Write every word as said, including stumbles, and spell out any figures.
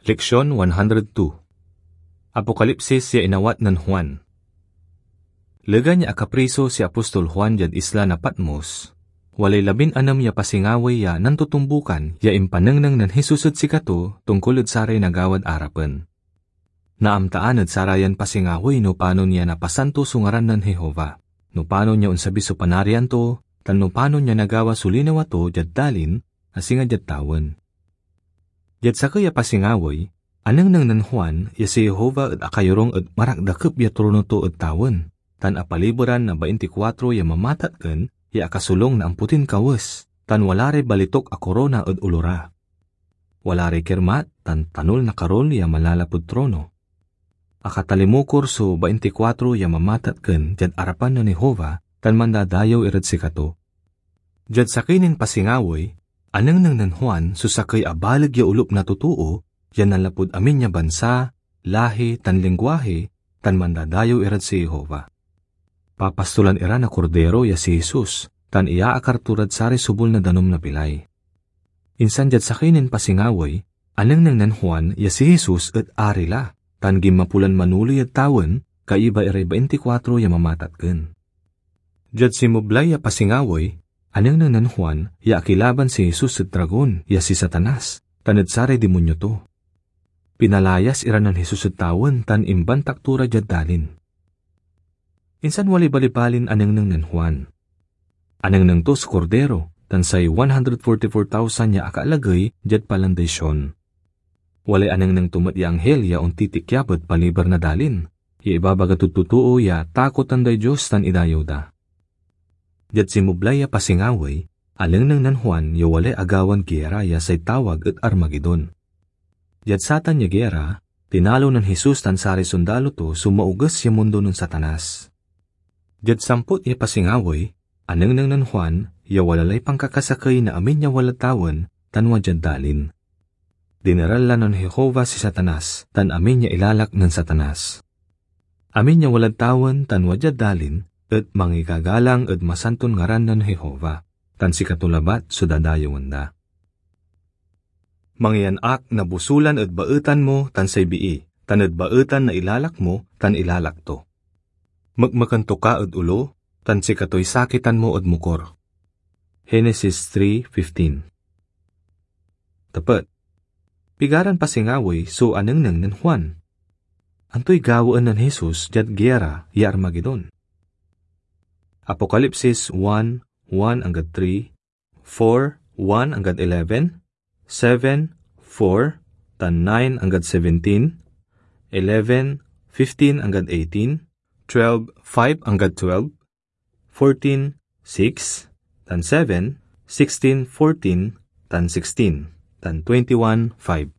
Leksyon one hundred two. Apokalipsis ya inawat nen Juan. Legan ya akapriso si apostol Juan diad isla na Patmos, walay labin-anem ya pasingawey ya nantotombukan ya impanengneng nen Jesus ed sikato tongkol ed saray nagawad arapen. Naamtaan ed sarayan pasingawey no panon ya napasanto so ngaran nen Jehovah, no panon ya onsabi so Panarian to, tan no panon ya nagawa so linawa to diad dalin, a singa diad tawen. Diad sakey a pasingawey, anengneng nen Juan ya si Jehovah et akayorung ed marakdakep ya trono to ed tawen, tan apaliberan na baintikwatro ya mamatatken ya akasolung na ampotin kawes, tan wala ray balituk a korona ed olo ra. Wala ray kirmat tan tanol na karul ya manlalapud trono. Akatalimukor so baintikwatro ya mamatatken diad arapan nen Jehovah tan mandadayew irad sikato. Diad sakey nin pasingawey, anengneng nen Juan so sakey a baleg ya olup na totoo ya nanlapud amin ya bansa, lahi, tan lingguahi, tan mandadayew irad si Jehovah. Papastolan ira na Kordero ya si Jesus, tan iyaakar to rad saray subol na danum na bilay. Insan diad sakey nin pasingawey, anengneng nen Juan ya si Jesus et Ari la, tan ginmapo lan manoley ed tawen, kaiba iray baintikwatro ya mamatatken. Diad sinmeblay ya pasingawey, anengneng nen Juan ya akilaban si Jesus ed dragon ya si Satanas, tan ed saray dimonyo to. Pinalayas ira nen Jesus ed tawen tan imbantak to ra diad dalin. Insan walay balibalin anengneng nen Juan. Anengneng to so Kordero tan say one hundred forty-four thousand ya akaalagey diad palanday Sion. Walay anengneng to met ya anghil ya ontitikyab ed paliber na dalin, ya ibabaga tod totoo ya takotan day Dios tan idayew da. Diad sinmeblay ya pasingawey, anengneng nen Juan ya walay agawan giera ya say tawag ed Armagedon. Diad satan ya giera, tinalo nen Jesus tan saray sondalo to so maoges ya mundo nen Satanas. Diad samput ya pasingawey, anengneng nen Juan ya wala lay pankakasakey na amin ya walad tawen tan wadiad dalin. Dineral la nen Jehovah si Satanas tan amin ya ilalak nen Satanas. Amin ya walad tawen tan wadiad dalin et mangigagalang ed masanton ngaran nen Jehovah, tan sikato labat so dadayewen da. Mangiyan ak na bosulan ed baetan mo tan say bii, tan ed baetan na ilalak mo tan ilalak to. Mekmeken to ka ed olo, tan sikatoy sakitan mo ed mokor. Genesis three fifteen. Tepet. Pigaran pasingawey so anengneng nen Juan? Antoy gawaen nen Jesus diad giera ya Armagedon? Apokalipsis one, one anggad three, four, one anggad eleven, seven, four, tan nine anggad seventeen, eleven, fifteen anggad eighteen, twelve, five anggad twelve, fourteen, six, tan seven, sixteen, fourteen, tan sixteen, tan twenty-one, five.